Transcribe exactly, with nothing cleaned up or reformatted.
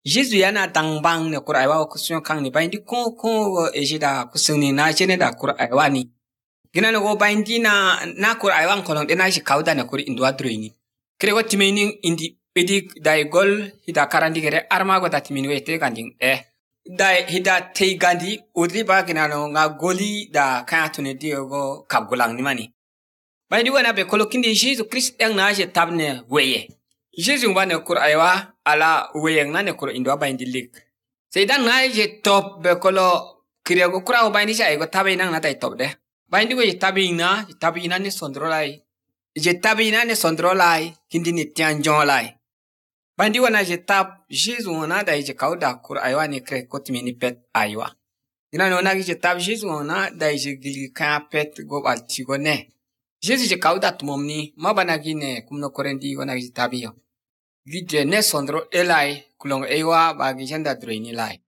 Jésus yana tang bang ne kur aiwa ku syon kang ni bain di ko ko ejida ku sung ni na chene da kur aiwa ni gina no go bain di na na kur aiwa kolong de na shi kauda ne kur indwa droini kre go timeni indi edi dai gol hida karandi gere arma go da timeni wete ganding eh dai hida te gandi udri ba gina no nga goli da ka tune di go kagulang ni mani bain di wana be kolokindi Jesus Christ yang na je tabne weye Jesus ba ne kur aiwa ala weyeng na ne kur indwa bain di lik seidan na je top be kolo kriya go kura bain di sai go tabe nang na tai top de bain di go je tabe na tabe na ne sondro lai je tabe na ne sondro lai kindi ni tian jon lai bain di wana je tab Jesus na da je kauda kur aiwa ne kre kotimi ni pet aiwa ina no na je tab Jesus na da je gili ka pet go bal ti go ne Jesus je kauda tumomni mabana gine kumno korendi go na je tabe yo Gide ne sondro elai kulong ewa bagi janda droini lai.